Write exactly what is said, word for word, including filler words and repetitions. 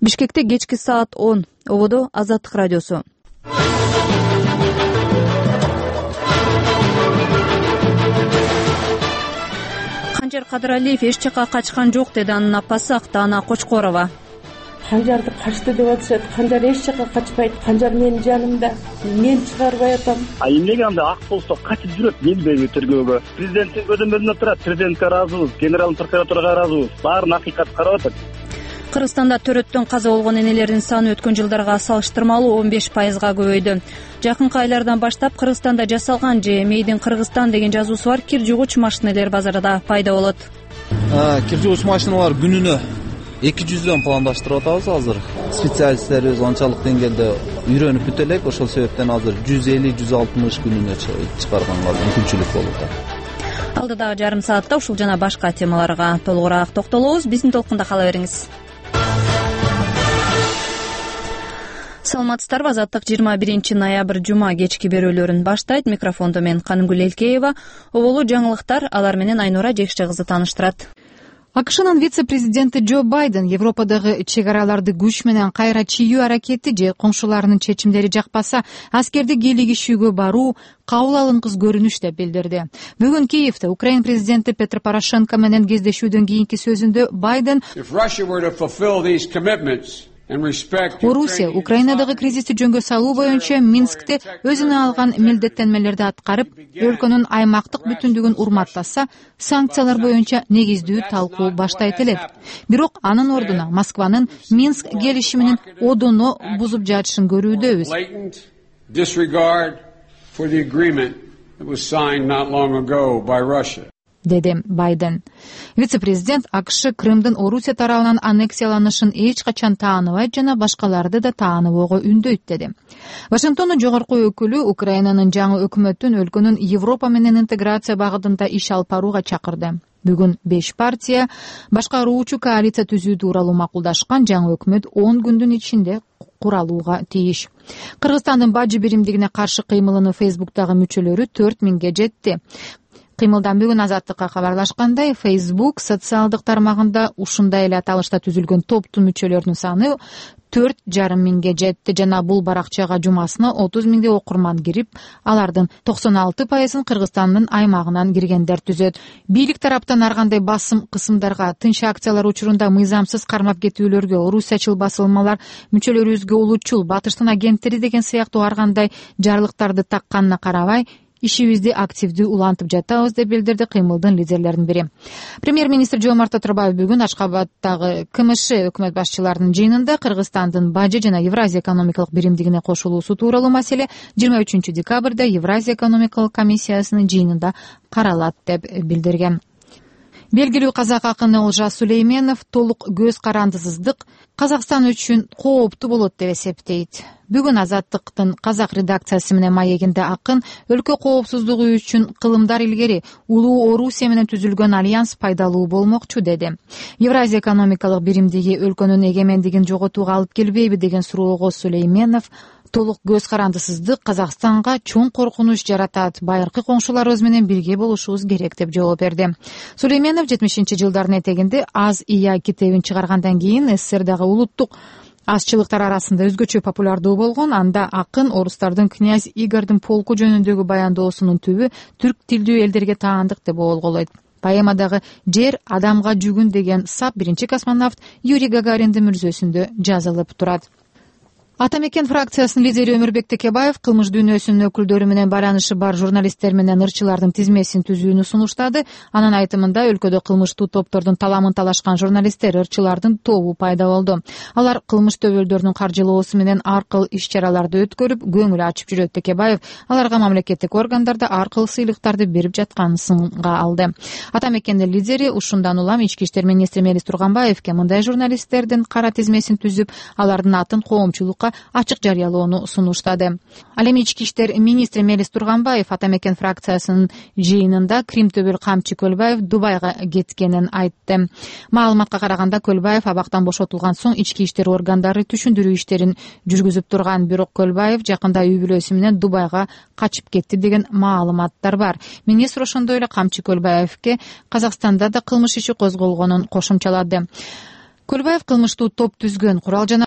Бишкекте кечки саат он. Ободо Азаттык радиосу. Канжар Кадыралиев эч жака качкан жок, деди анын апасы Актаана Кочкорова. Канжарды качты деп атышат. Канжар эч жака качпайт. Канжар менин жанымда. Мен чыгарбай атам. А эмнеге анда ак болсо качып жүрөт? Келбейби тергөөгө? Президенттин көзөмөлүнө турат. Президентке ыраазыбыз, генералдын прокуратурага ыраазыбыз. Баарын акыйкат карап атат. Кыргызстанда төрөттөн каза болгон энелердин саны өткөн жылдарга салыштырмалуу он беш пайызга көбөйдү. Жакынкы айлардан баштап Кыргызстанда жасалган же Мейдин Кыргызстан деген жазуусу бар кир жугуч машинелер базарда пайда болот. Кир жугуч машиналар күнүнө эки жүздөн пландаштырып атабыз азыр. Специалисттерибиз анчалык деңгээлде үйрөнүп бүтө элек, ошол себептен азыр жүз элүү жүз алтымыш күнүнө чыгарганга мүмкүнчүлүк болуп атат. Алдыдагы жарым саатта ушул жана башка темаларга толугураак токтолобуз. Биздин толкунда кала бериңиз. Саламатсыздарбы? Азаттык жыйырма биринчи ноябрь жума кечки берүүлөрүн баштайт. Микрофондо мен Канымгүл Элкеева. Оболу жаңылыктар, алар менен Айнура Жекше кызы тааныштырат. АКШнын вице-президенти Джо Байден Европадагы чек араларды күч менен кайра чийүү аракети же коңшуларынын чечимдери жакпаса, аскерди кийлигишүүгө баруу кабыл алынгыс көрүнүш деп билдирди. Бүгүн Киевде Украина президенти Петр Порошенко менен кездешүүдөн кийинки сөзүндө Байден Орусия Украинадагы кризисти жөнгө салуу боюнча Минскте өзүнө алган милдеттенмелерди аткарып, өлкөнүн аймактык бүтүндүгүн урматтаса, санкциялар боюнча негиздүү талкуу баштайт элек. Бирок анын ордуна Москванын Минск келишиминин одоно бузуп жатышын көрүүдөбүз. Деди Байден. Вице-президент АКШ Крымдын Орусия тарабынан аннексияланышын эч качан тааныбайт жана башкаларды да тааныбоого үндөйт, деди. Вашингтондун жогорку өкүлү Украинанын жаңы өкмөтүн өлкөнүн Европа менен интеграция багытында иш алып барууга чакырды. Бүгүн беш партия башкаруучу коалиция түзүү тууралуу макулдашкан жаңы өкмөт он күндүн ичинде куралууга тийиш. Кыргызстандын бажы биримдигине каршы кыймылынын Фейсбуктагы мүчөлөрү төрт миңге жетти. Кыймылдан бүгүн Азаттыкка кабарлашкандай, Facebook социалдык тармагында ушундай эле аталышта түзүлгөн топтун мүчөлөрүнүн саны төрт жарым миңге жетти жана бул баракчага жумасына отуз миңдей окурман кирип, алардын токсон алты пайызын Кыргызстандын аймагынан киргендер түзөт. Бийлик тараптан ар кандай басым кысымдарга, тынч акциялар учурунда мыйзамсыз кармап кетүүлөргө, орусиячыл басылмалар мүчөлөрүбүзгө улутчул, батыштын агенттери деген сыяктуу ар кандай жарлыктарды такканына карабай, ишибизди активдүү улантып жатабыз деп билдирди кыймылдын лидерлеринин бири. Премьер-министр Жомарт Атарбаев бүгүн Ашкабадтагы КМШ өкмөт башчыларынын жыйынында Кыргызстандын бажы жана Евразия экономикалык биримдигине кошулуусу тууралуу маселе жыйырма үчүнчү декабрда Евразия экономикалык комиссиясынын жыйынында каралат деп билдирген. Белгилүү казак акыны Олжас Сүлейменов толук көз карандысыздык Казакстан үчүн кооптуу болот деп эсептейт. Бүгүн Азаттыктын казак редакциясы менен маегинде акын өлкө коопсуздугу үчүн кылымдар илгери улуу Орусия менен түзүлгөн альянс пайдалуу болмокчу, деди. Евразия экономикалык биримдиги өлкөнүн эгемендигин жоготууга алып келбейби деген суроого Сүлейменов толук көз карандысыздык Казакстанга чоң коркунуч жаратат. Байыркы коңшуларыбыз менен бирге болушубуз керек деп жооп берди. Сүлейменов жетимишинчи жылдардын этегинде Аз ия китебин чыгаргандан кийин СССРдагы улуттук азчылыктар арасында өзгөчө популярдуу болгон. Анда акын орустардын князь Игордун полку жөнүндөгү баяндоосунун түбү түрк тилдүү элдерге таандык деп оолголойт. Поэмадагы жер адамга жүгүн деген сап биринчи космонавт Юрий Гагариндин мүрзөсүндө жазылып турат. Атамекен фракциясынын лидери Өмүрбек Текебаев кылмыш дүйнөсүнүн өкүлдөрү менен байланышы бар журналисттер менен ырчылардын тизмесин түзүүнү сунуштады. Анын айтымында өлкөдө кылмыштуу топтордун таламын талашкан журналисттер, ырчылардын тобу пайда болду. Алар кылмыш төбөлдөрүнүн каржылоосу менен ар кыл иш-чараларды өткөрүп, көңүл ачып жүрөт. Текебаев аларга мамлекеттик органдарда ар кыл сыйлыктарды берип жатканын сынга алды. Атамекендин лидери ушундан улам ички иштер министри Мелис Турганбаевке мындай журналисттердин кара тизмесин түзүп, алардын атын коомчулукка ачык жарыялоону сунуштады. Ал эми ички иштер министри Мелис Турганбаев Атамекен фракциясынын жыйынында Крим төбөл камчы Көлбаев Дубайга кеткенин айтты. Маалыматка караганда Көлбаев абактан бошотулган соң ички иштер органдары түшүндүрүү иштерин жүргүзүп турган, бирок Көлбаев жакында үй бүлөсү менен Дубайга качып кетти деген маалыматтар бар. Министр ошондой эле камчы Көлбаевке Казакстанда да кылмыш иши козголгонун кошумчалады. Көлбаев кылмыштуу топ түзгөн, курал жана